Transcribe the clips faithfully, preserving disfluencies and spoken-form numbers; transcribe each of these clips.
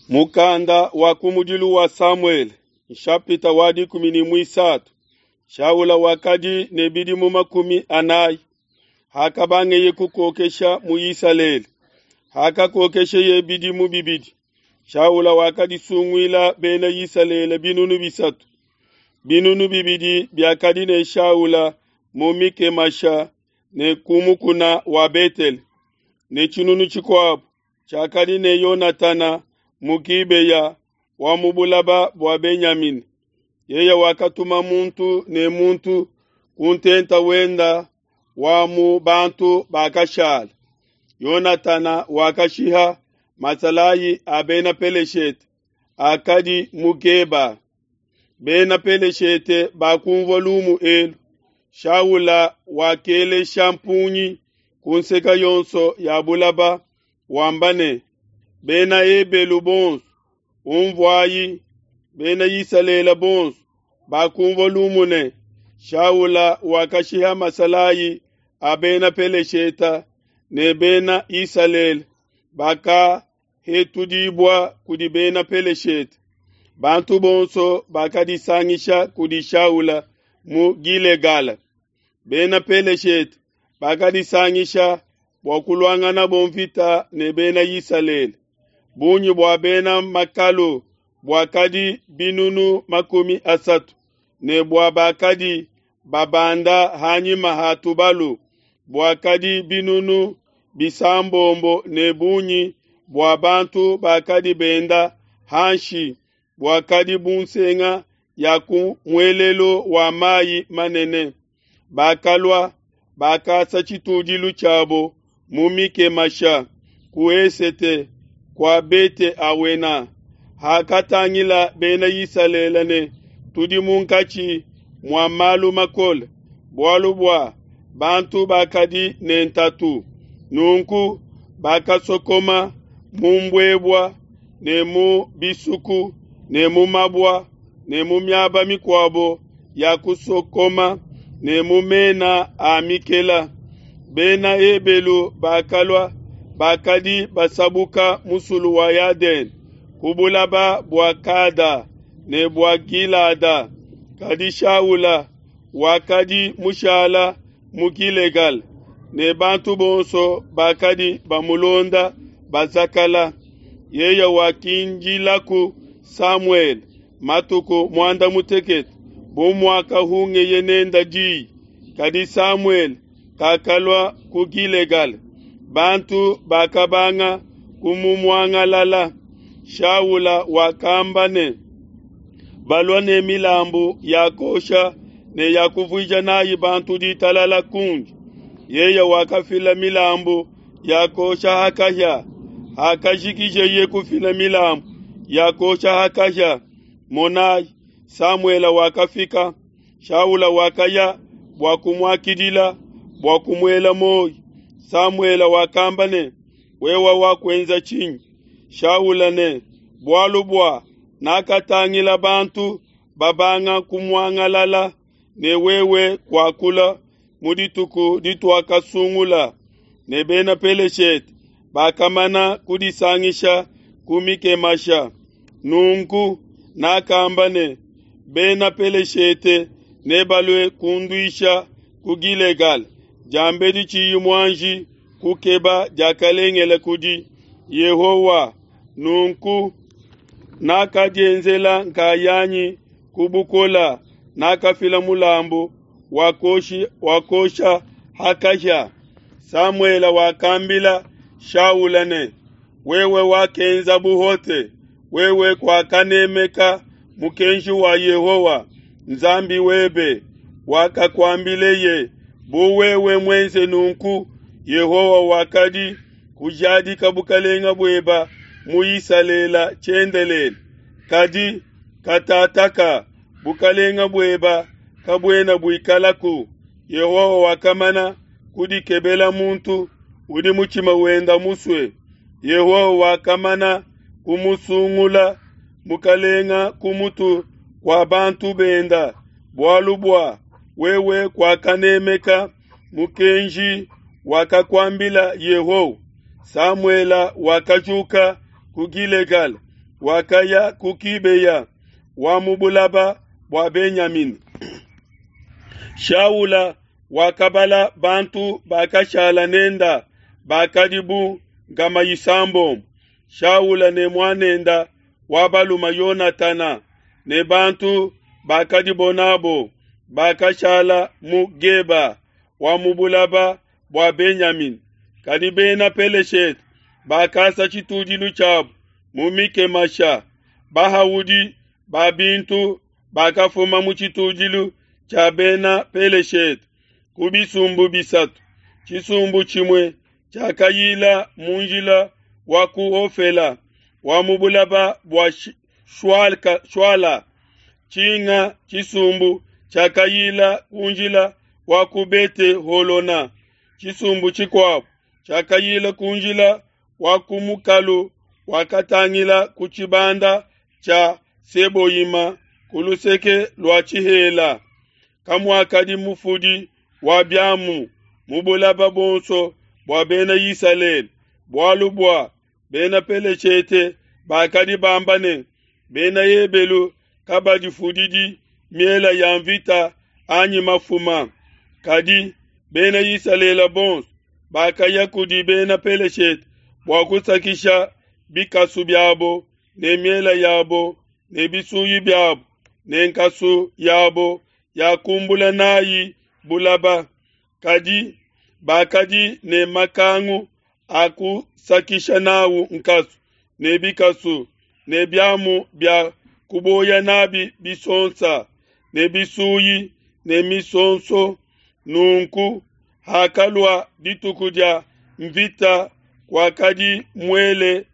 Mukanda wa kumudilu wa Samuele, nshapita wa dikumi ne muisatu. Shaula wakadi ne bidimu makumi anayi hakabangeye kukokesha mu Isalele. Hakakokesheye bidimu bibidi, Shaula wakadisunguila Bena Isalele binunu bisatu. Binunu bibidi biakadi ne Shaula mu Mikemasha ne ku mukuna wa Betele, ne tshinunu tshikuabo tshiakadi ne Yonatana mu Gibeya wa mu bulaba bua Benyamina. Yeye wakatuma muntu ne muntu ku ntenta wenda wa mu bantu bakashala. Yonatana wakashiha masalayi a Bena Peleshete akadi mu Geba. Bena Peleshete bakunvua lumu elu. Shaula wakelesha mpungi ku nseke yonso ya bulaba wamba ne, Bena Ebelu bonso, unvuayi! Bena Isalele bonso bakunvua lumu ne, Shaula wakashiha masalayi a Bena Peleshete ne Bena Isalele bakahetudibua kudi Bena Peleshete. Bantu bonso bakadisangisha kudi Shaula mu Gilegala. Bena Peleshete bakadisangisha bua kuluanganabo mvita ne Bena Isalele. Bungi bua bena makalu buakadi binunu makumi asatu, ne bua bakadi babanda ha nyima ha tubalu buakadi binunu bisambombo, ne bungi bua bantu bakadi benda hanshi buakadi bu nsenga ya ku muelelu wa mai manene. Bakalua, bakasa tshitudilu tshiabo mu Mikemasha ku esete kua Bete-awena. Hakatangila Bena Isalele ne tudi munkatshi mua malu makole, bualu bua bantu bakadi ne ntatu, nunku bakasokoma mu mbuebua ne mu bisuku ne mu mabua ne mu miaba mikuabo ya kusokoma ne mu mena a mikela. Bena Ebelu bakalua, bakadi basabuka musulu wa Yadene ku bulaba bua Gada ne bua Gilada. Kadi Shaula wakadi mushala mu Gilegala, ne bantu bonso bakadi bamulonda bazakala. Yeye wakindilaku Samuele matuku muanda mutekete bu muakahungeye nende diyi, kadi Samuele kakalua ku Gilegala. Bantu bakabanga kumumuangalala. Shaula wakamba ne, Balua ne milambu ya kuosha ne ya kuvuija nayi bantu ditalala kundi. Yeye wakafila milambu ya kuosha ha kahia. Hakajikijeye kufila milambu ya kuosha ha kahia, monai, Samuele wakafika. Shaula wakaya bua kumuakidila bua kumuela muoyo. Samuele wakamba ne, Wewe wakuenza tshinyi? Shaula ne, Bualu bua nakatangila bantu babanga kumuangalala, ne wewe kuakula mu dituku dituakasungula, ne Bena Peleshete bakamana kudisangisha ku Mikemasha. Nunku nakamba ne, Bena Peleshete nebalue kunduisha ku Gilegala, diambedi tshiyi muanji kukeba diakalengele kudi Yehowa. Nunku nakadienzela nkayanyi ku bukola, nakafila mulambu wa kuosha ha kahia. Samuele wakambila Shaula ne, Wewe wakenza buhote, wewe kuakanemeka mukenji wa Yehowa Nzambi webe wakakuambileye, bu wewe muenze nunku, Yehowa wakadi kujadika bukelenge bueba mu Isalele tshiendelele. Kadi katataka bukelenge bueba kabuena buikalaku. Yehowa wakamana kudikebela muntu udi mutshima wenda musue. Yehowa wakamana kumusungula mukalenga ku mutu kua bantu benda, bualu bua wewe kuakanemeka mukenji wakakuambila Yehowa. Samuele wakajuka ku Gilegala, wakaya ku Kibeya wa mu bulaba bua Benyamina. Shaula wakabala bantu bakashala nenda bakadi bu nkama isambombo. Shaula ne muanenda wa baluma Yonatana ne bantu bakadibo nabo bakashala mu Geba wa mu bulaba bua Benyamina. Kadi bena Peleshete bakasa tshitudilu tshiabu mu Mikemasha. Bahaudi ba bintu bakafuma mu tshitudilu tshia bena Peleshete ku bisumbu bisatu. Tshisumbu tshimue tshiakayila mu njila wa ku Ofela wa mu bulaba bua Shuala. Tshinga tshisumbu tshiakayila ku njila wa ku Bete Holona. Tshisumbu tshikuabu tshiakayila ku njila wa ku mukalu wakatangila ku tshibanda tshia Seboyima ku luseke lua tshihela. Kamuakadi mufudi wa biamu mu bulaba bonso bua bena Isalele, bualu bua bena Peleshete bakadi bamba ne, bena Ebelu kabadifudidi miela ya mvita anyi mafuma. Kadi bena Isalele bonso bakaya kudi bena Peleshete bua kusakisha bikasu biabo ne miela yabo ne bisuyi biabo ne nkasu yabo ya kumbula nayi bulaba. Kadi bakadi ne makangu a kusakisha nawu nkasu ne bikasu ne biamu bia kuboya nabi bisonsa ne bisuyi ne misonso. Nunku hakalua dituku dia mvita, kwakadi muele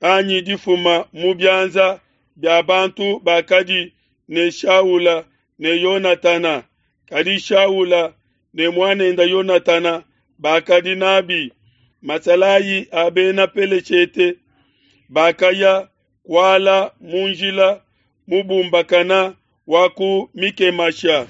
anyi difuma mu bianza bia bantu bakadi ne Shaula ne Yonatana. Kadi Shaula ne muanenda Yonatana bakadi nabi. Masalayi a bena Peleshete bakaya kuala mu njila mubumbakana wa ku Mikemasha.